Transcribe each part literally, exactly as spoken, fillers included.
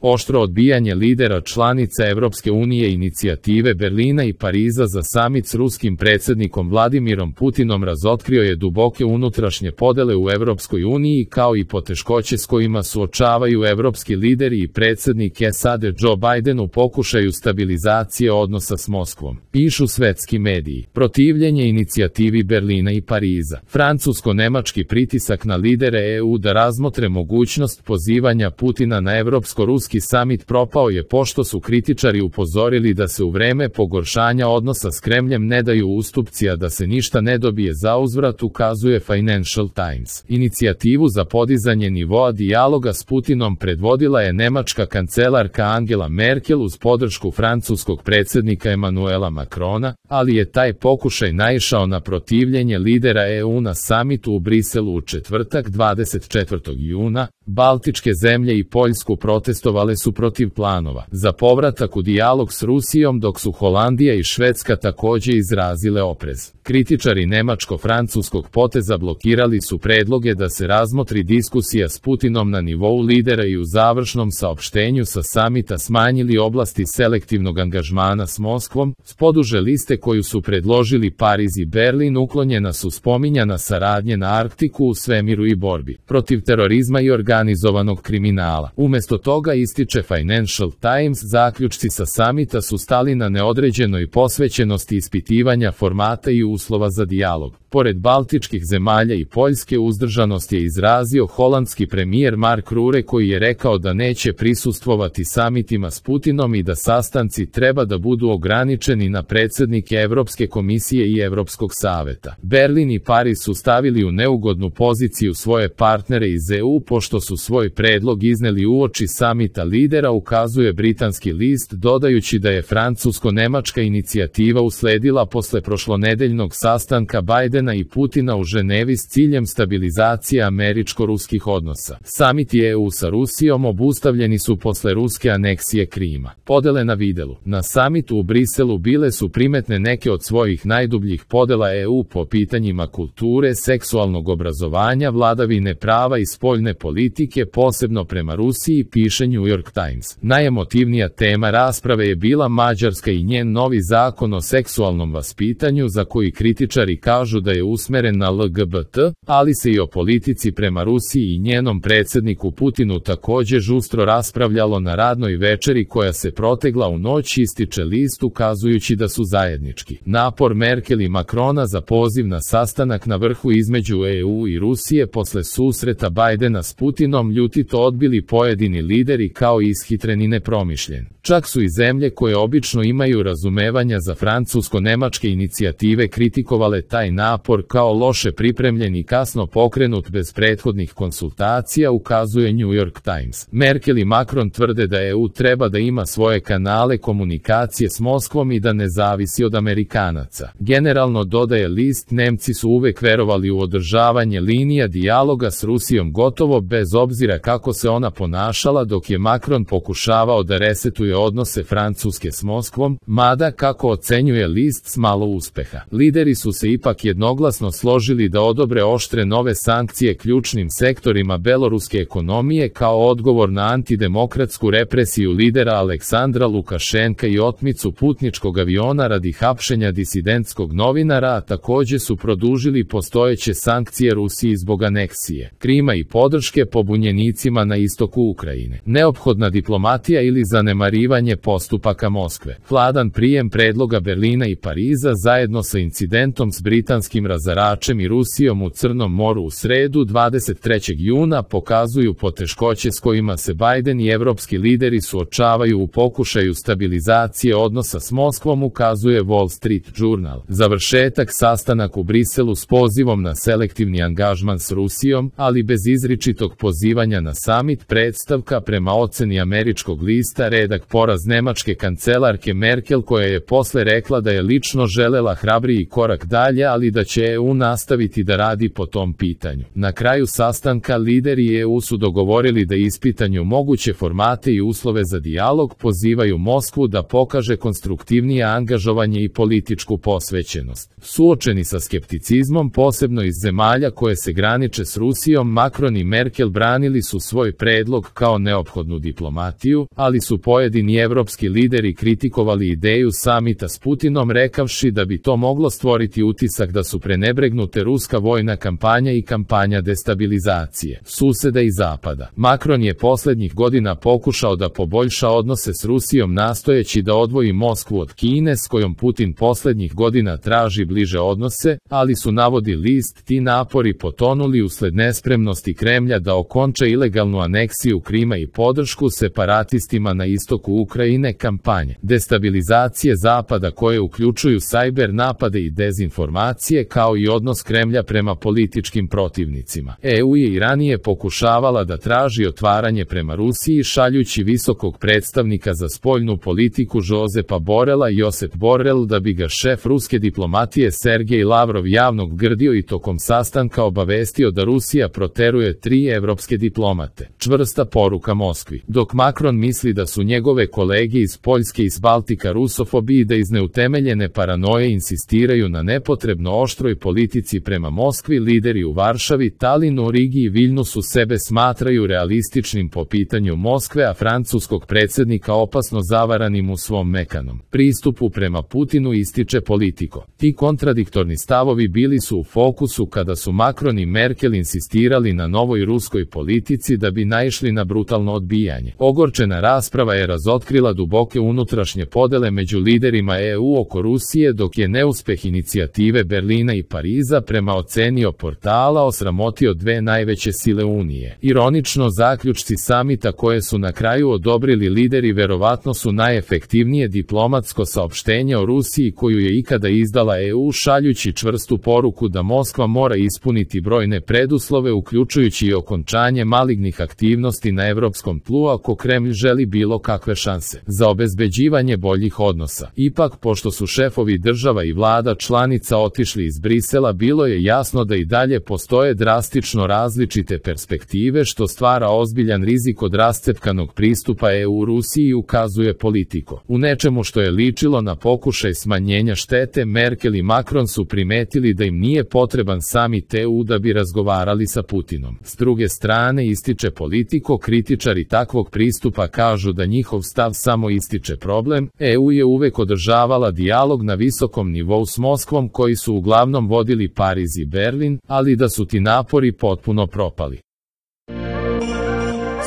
Oštro odbijanje lidera članica Evropske unije inicijative Berlina i Pariza za samit s ruskim predsjednikom Vladimirom Putinom razotkrio je duboke unutrašnje podele u Evropskoj uniji kao i poteškoće s kojima suočavaju evropski lideri i predsjednik S A D Joe Biden u pokušaju stabilizacije odnosa s Moskvom, pišu svetski mediji. Protivljenje inicijativi Berlina i Pariza. Francusko-nemački pritisak na lidere E U da razmotre mogućnost pozivanja Putina na evropsko-ruski samit propao je pošto su kritičari upozorili da se u vreme pogoršanja odnosa s Kremljem ne daju ustupci, a da se ništa ne dobije zauzvrat, ukazuje Financial Times. Inicijativu za podizanje nivoa dijaloga s Putinom predvodila je nemačka kancelarka Angela Merkel uz podršku francuskog predsjednika Emmanuela Macrona, ali je taj pokušaj naišao na protivljenje lidera E U na samitu u Briselu u četvrtak dvadeset četvrtog juna. Baltičke zemlje i Poljsku protestovale su protiv planova za povratak u dijalog s Rusijom, dok su Holandija i Švedska također izrazile oprez. Kritičari nemačko-francuskog poteza blokirali su predloge da se razmotri diskusija s Putinom na nivou lidera i u završnom saopštenju sa samita smanjili oblasti selektivnog angažmana s Moskvom. S poduže liste koju su predložili Pariz i Berlin uklonjena su spominjana saradnje na Arktiku, u svemiru i borbi protiv terorizma i organizovanog kriminala. Umjesto toga, ističe Financial Times, zaključci sa samita su stali na neodređenoj posvećenosti ispitivanja formata i uslova za dijalog. Pored baltičkih zemalja i Poljske, uzdržanost je izrazio holandski premijer Mark Rutte, koji je rekao da neće prisustvovati samitima s Putinom i da sastanci treba da budu ograničeni na predsjednike Evropske komisije i Evropskog saveta. Berlin i Pariz su stavili u neugodnu poziciju svoje partnere iz E U pošto su svoj predlog izneli uoči samita lidera, ukazuje britanski list, dodajući da je francusko-nemačka inicijativa usledila posle prošlonedeljnog sastanka Bidena i Putina u Ženevi s ciljem stabilizacije američko-ruskih odnosa. Samiti E U sa Rusijom obustavljeni su posle ruske aneksije Krima. Podele na videlu. Na samitu u Briselu bile su primetne neke od svojih najdubljih podela E U po pitanjima kulture, seksualnog obrazovanja, vladavine prava i spoljne politike, posebno prema Rusiji, piše New York Times. Najemotivnija tema rasprave je bila Mađarska i njen novi zakon o seksualnom vaspitanju, za koji kritičari kažu da je usmeren na L G B T, ali se i o politici prema Rusiji i njenom predsjedniku Putinu također žustro raspravljalo na radnoj večeri koja se protegla u noć, ističe list, ukazujući da su zajednički napor Merkel i Macrona za poziv na sastanak na vrhu između E U i Rusije posle susreta Bidena s Putinom ljutito odbili pojedini lideri kao ishitren i nepromišljen. Čak su i zemlje koje obično imaju razumevanja za francusko-nemačke inicijative kritikovale taj napor kao loše pripremljen i kasno pokrenut bez prethodnih konsultacija, ukazuje New York Times. Merkel i Macron tvrde da E U treba da ima svoje kanale komunikacije s Moskvom i da ne zavisi od Amerikanaca. Generalno, dodaje list, Nemci su uvek verovali u održavanje linija dijaloga s Rusijom gotovo bez obzira kako se ona ponašala, dok je Macron pokušavao da resetuje odnose Francuske s Moskvom, mada, kako ocenjuje list, s malo uspeha. Lideri su se ipak jednoglasno složili da odobre oštre nove sankcije ključnim sektorima beloruske ekonomije kao odgovor na antidemokratsku represiju lidera Aleksandra Lukašenka i otmicu putničkog aviona radi hapšenja disidentskog novinara, a također su produžili postojeće sankcije Rusiji zbog aneksije Krima i podrške pobunjenicima na istoku Ukrajine. Neophodna diplomatija ili zanemarivanje postupaka Moskve. Hladan prijem predloga Berlina i Pariza zajedno sa incidentom s britanskim razaračem i Rusijom u Crnom moru u sredu dvadeset trećeg juna pokazuju poteškoće s kojima se Biden i evropski lideri suočavaju u pokušaju stabilizacije odnosa s Moskvom, ukazuje Wall Street Journal. Završetak sastanak u Briselu s pozivom na selektivni angažman s Rusijom, ali bez izričitog pozivanja na samit, predstavka prema oceni američkog lista redak poraz nemačke kancelarke Merkel, koja je posle rekla da je lično želela hrabriji korak dalje, ali da će E U nastaviti da radi po tom pitanju. Na kraju sastanka lideri E U su dogovorili da ispitanju moguće formate i uslove za dijalog, pozivaju Moskvu da pokaže konstruktivnije angažovanje i političku posvećenost. Suočeni sa skepticizmom, posebno iz zemalja koje se graniče s Rusijom, Macron i Merkel branili su svoj predlog kao neophodno slobodnu diplomatiju, ali su pojedini evropski lideri kritikovali ideju samita s Putinom rekavši da bi to moglo stvoriti utisak da su prenebregnute ruska vojna kampanja i kampanja destabilizacije suseda i zapada. Macron je poslednjih godina pokušao da poboljša odnose s Rusijom nastojeći da odvoji Moskvu od Kine s kojom Putin poslednjih godina traži bliže odnose, ali su, navodi list, ti napori potonuli usled nespremnosti Kremlja da okonča ilegalnu aneksiju Krima i podršku separatistima na istoku Ukrajine kampanje destabilizacije zapada koje uključuju sajber napade i dezinformacije kao i odnos Kremlja prema političkim protivnicima. E U je i ranije pokušavala da traži otvaranje prema Rusiji šaljući visokog predstavnika za spoljnu politiku Josepa Borela i Josep Borrell da bi ga šef ruske diplomatije Sergej Lavrov javno grdio i tokom sastanka obavestio da Rusija proteruje tri evropske diplomate. Čvrsta poruka Moskvi. Dok Macron misli da su njegove kolege iz Poljske i iz Baltika rusofobi i da iz neutemeljene paranoje insistiraju na nepotrebno oštroj politici prema Moskvi, lideri u Varšavi, Talinu, Rigi i Viljnusu sebe smatraju realističnim po pitanju Moskve, a francuskog predsjednika opasno zavaranim u svom mekanom pristupu prema Putinu, ističe Politico. Ti kontradiktorni stavovi bili su u fokusu kada su Macron i Merkel insistirali na novoj ruskoj politici da bi naišli na brutalno odbijanje. Ogorčena rasprava je razotkrila duboke unutrašnje podele među liderima E U oko Rusije, dok je neuspeh inicijative Berlina i Pariza prema ocenio portala osramotio dve najveće sile Unije. Ironično, zaključci samita koje su na kraju odobrili lideri verovatno su najefektivnije diplomatsko saopštenje o Rusiji koju je ikada izdala E U, šaljući čvrstu poruku da Moskva mora ispuniti brojne preduslove uključujući i okončanje malignih aktivnosti na evropskom tlu ako Kremlj želi bilo kakve šanse za obezbeđivanje boljih odnosa. Ipak, pošto su šefovi država i vlada članica otišli iz Brisela, bilo je jasno da i dalje postoje drastično različite perspektive što stvara ozbiljan rizik od rascepkanog pristupa E U Rusiji, ukazuje Politico. U nečemu što je ličilo na pokušaj smanjenja štete, Merkel i Macron su primetili da im nije potreban samit E U da bi razgovarali sa Putinom. S druge strane, ističe Politico, kritičari takvog pristupa kažu da njihov stav samo ističe problem. E U je uvek održavala dijalog na visokom nivou s Moskvom koji su uglavnom vodili Pariz i Berlin, ali da su ti napori potpuno propali.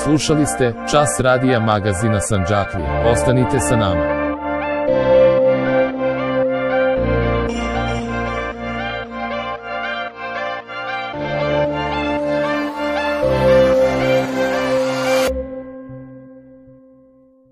Slušali ste Čas radija magazina Sandžaklija. Ostanite sa nama.